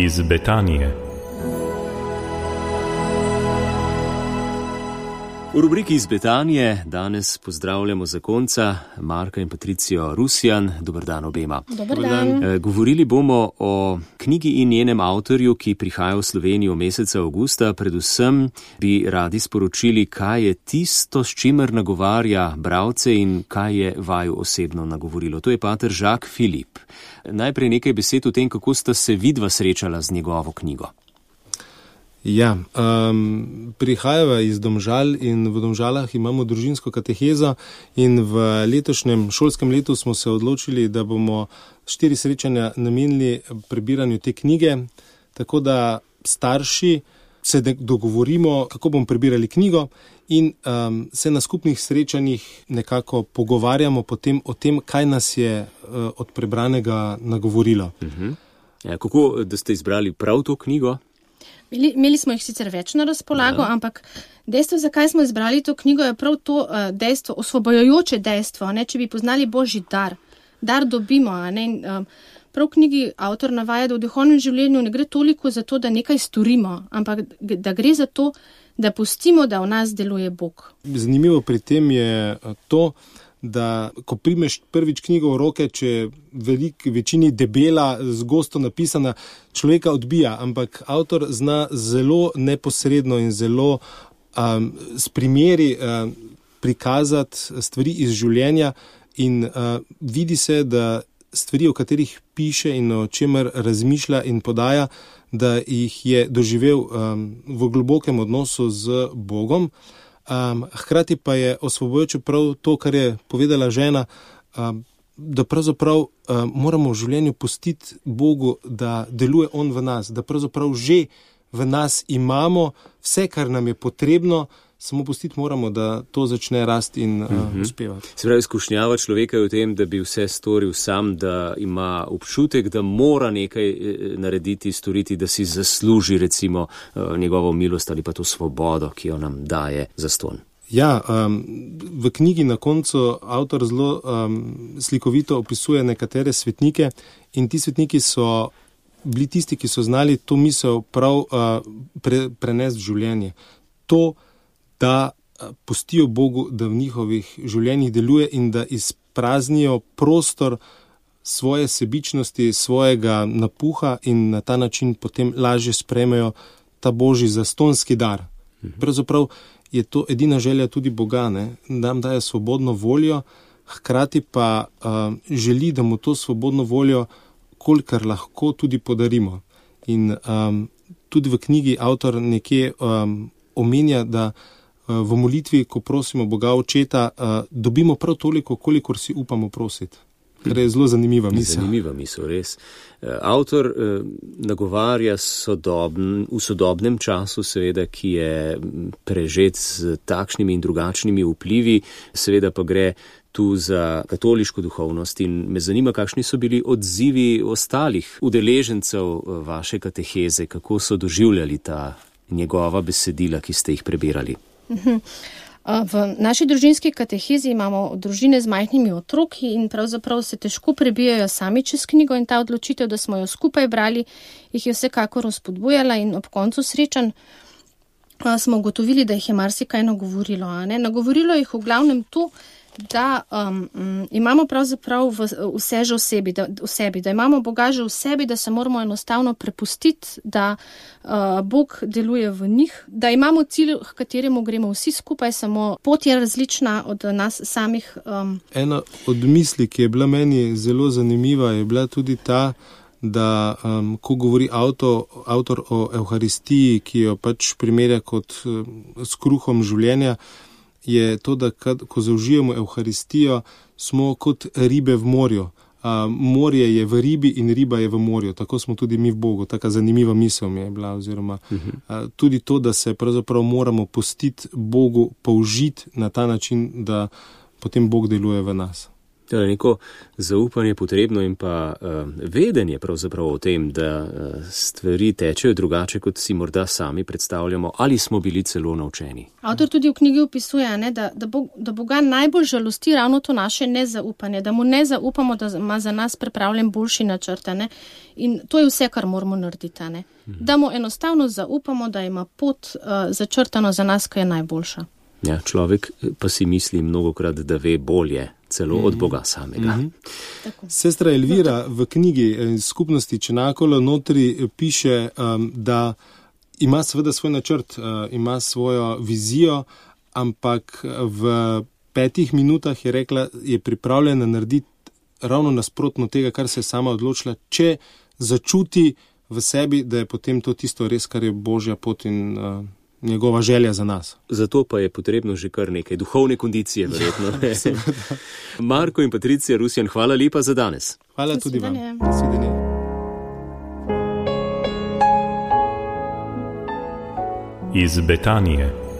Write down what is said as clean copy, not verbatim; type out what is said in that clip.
iz Betanije. V rubriki iz Betanije danes pozdravljamo zakonca Marka in Patricijo Rusjan. Dober dan obema. Dober dan. Govorili bomo o knjigi in njenem avtorju, ki prihaja v Slovenijo meseca avgusta. Predvsem bi radi sporočili, kaj je tisto, s čimer nagovarja bralce in kaj je vaju osebno nagovorilo. To je pater Jacques Philippe. Najprej nekaj besed o tem, kako sta se vidva srečala z njegovo knjigo. Ja, prihajava iz Domžal in v Domžalah imamo družinsko katehezo in v letošnjem šolskem letu smo se odločili, da bomo 4 srečanja namenili prebiranju te knjige, tako da starši se dogovorimo, kako bomo prebirali knjigo in se na skupnih srečanjih nekako pogovarjamo potem o tem, kaj nas je od prebranega nagovorilo. Ja, kako, da ste izbrali prav to knjigo? Imeli smo jih sicer več na razpolago, ampak dejstvo, zakaj smo izbrali to knjigo, je prav to dejstvo, osvobojujoče dejstvo. Ne? Če bi poznali Božji dar dobimo. Ne? Prav v knjigi avtor navaja, da v duhovnem življenju ne gre toliko za to, da nekaj storimo, ampak da gre za to, da pustimo, da v nas deluje Bog. Zanimivo pri tem je to, da ko primeš prvič knjigo v roke, če je večini debela, zgosto napisana, človeka odbija, ampak avtor zna zelo neposredno in zelo s primeri prikazati stvari iz življenja in vidi se, da stvari, o katerih piše in o čemer razmišlja in podaja, da jih je doživel v globokem odnosu z Bogom. Hkrati pa je osvobojujoče prav to, kar je povedala žena, da pravzaprav moramo v življenju pustiti Bogu, da deluje On v nas, da pravzaprav že v nas imamo vse, kar nam je potrebno, samo pustiti moramo, da to začne rasti in uspevati. Se pravi, izkušnjava človeka je v tem, da bi vse storil sam, da ima občutek, da mora nekaj narediti, storiti, da si zasluži recimo njegovo milost ali pa to svobodo, ki jo nam daje zastonj. Ja, v knjigi na koncu avtor zelo slikovito opisuje nekatere svetnike in ti svetniki so bili tisti, ki so znali to misel prav prenesti v življenje. To, da pustijo Bogu, da v njihovih življenjih deluje in da izpraznijo prostor svoje sebičnosti, svojega napuha in na ta način potem lažje sprejmejo ta Božji zastonski dar. Pravzaprav je to edina želja tudi Boga, ne? Da nam daje svobodno voljo, hkrati pa želi, da mu to svobodno voljo kolikor lahko tudi podarimo. In tudi v knjigi avtor nekje omenja, da v molitvi, ko prosimo Boga Očeta, dobimo prav toliko, kolikor si upamo prositi. Kar je zelo zanimiva misel. Zanimiva misel, res. Avtor nagovarja v sodobnem času, seveda, ki je prežet z takšnimi in drugačnimi vplivi, seveda pa gre tu za katoliško duhovnost in me zanima, kakšni so bili odzivi ostalih udeležencev vaše kateheze, kako so doživljali ta njegova besedila, ki ste jih prebirali. V naši družinski katehezi imamo družine z majhnimi otroki in pravzaprav se težko prebijajo sami čez knjigo in ta odločitev, da smo jo skupaj brali, jih je vsekakor vzpodbujala in ob koncu srečanj smo ugotovili, da jih je marsikaj nagovorilo. Nagovorilo jih v glavnem to, da imamo pravzaprav vse že v sebi, da imamo Boga že v sebi, da se moramo enostavno prepustiti, da Bog deluje v njih, da imamo cilj, k kateremu gremo vsi skupaj, samo pot je različna od nas samih. Ena od misli, ki je bila meni zelo zanimiva, je bila tudi ta, da ko govori avtor o Evharistiji, ki jo pač primerja kot s kruhom življenja, je to, da ko zaužijemo Evharistijo, smo kot ribe v morju. Morje je v ribi in riba je v morju. Tako smo tudi mi v Bogu. Taka zanimiva misel mi je bila. Oziroma, tudi to, da se pravzaprav moramo pustiti Bogu použiti na ta način, da potem Bog deluje v nas. Neko zaupanje potrebno in pa vedenje pravzaprav o tem, da stvari tečejo drugače, kot si morda sami predstavljamo, ali smo bili celo naučeni. Avtor tudi v knjigi opisuje, ne, da Boga najbolj žalosti ravno to naše nezaupanje, da mu ne zaupamo, da ima za nas pripravljen boljši načrt. Ne. In to je vse, kar moramo narediti. Ne. Da mu enostavno zaupamo, da ima pot začrtano za nas, ki je najboljša. Ja, človek pa si misli mnogokrat, da ve bolje, celo od Boga samega. Sestra Elvira v knjigi Skupnosti Čenakolo notri piše, da ima seveda svoj načrt, ima svojo vizijo, ampak v 5 minutah je rekla, je pripravljena narediti ravno nasprotno tega, kar se je sama odločila, če začuti v sebi, da je potem to tisto res, kar je Božja pot in njegova želja za nas. Zato pa je potrebno že kar nekaj duhovne kondicije, verjetno. Ja, Marko in Patricija Rusjan, hvala lepa za danes. Hvala tudi vam. Iz Betanije.